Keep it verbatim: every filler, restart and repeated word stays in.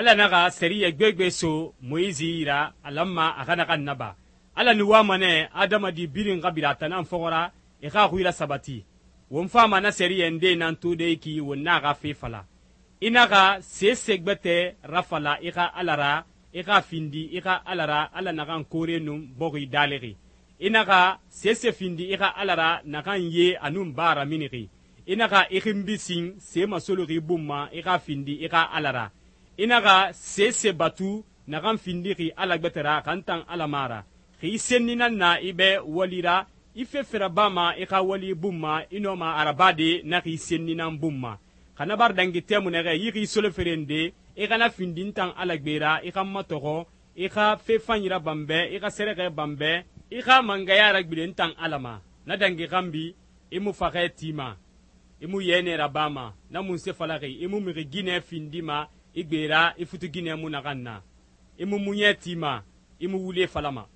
Ala naxa sɛriyɛ gbegbe so Moyisi yira a lanma a xa naxan naba. Ala nu wama nɛ adamadi birin xa bira a tan nan fɔxɔ ra e xa xui rasabati. Won fama na sɛriyɛ nde nan tode ki won na xa fe fala. I naxa sese gbɛtɛ rafala i xa Ala ra, i xa findi i xa Ala ra Ala naxan koore nun bɔxi dalixi. I naxa sese findi i xa Ala ra naxan ye a nun ba raminixi. I naxa i xinbi sin se masoloxi bun ma i xa findi i xa Ala ra. I naxa sese batu naxan findixi Ala gbɛtɛ ra xan tan Ala ma ra. Xi senni nan na i bɛ wali ra, i fefe rabama i xa wali bun ma i nɔma a rabade na xi senni nan bun ma. Xana bar dangi tɛmu nɛxɛ yi xi soloferen de, i xana findi n tan Ala gbe ra, i xa matɔxɔ, i xa fe fanyi rabanbɛ, i xa sɛrɛxɛ banbɛ, i xa mangaya ragbilen n tan Ala ma. Na dangi xanbi, i mu faxɛ tima, i mu yɛnɛ rabama, na munse falaxi, i mu mixi ginɛ findima i gbe ra, i futu ginɛ mu naxan na. I mu muɲɛ tima, i mu wule falama.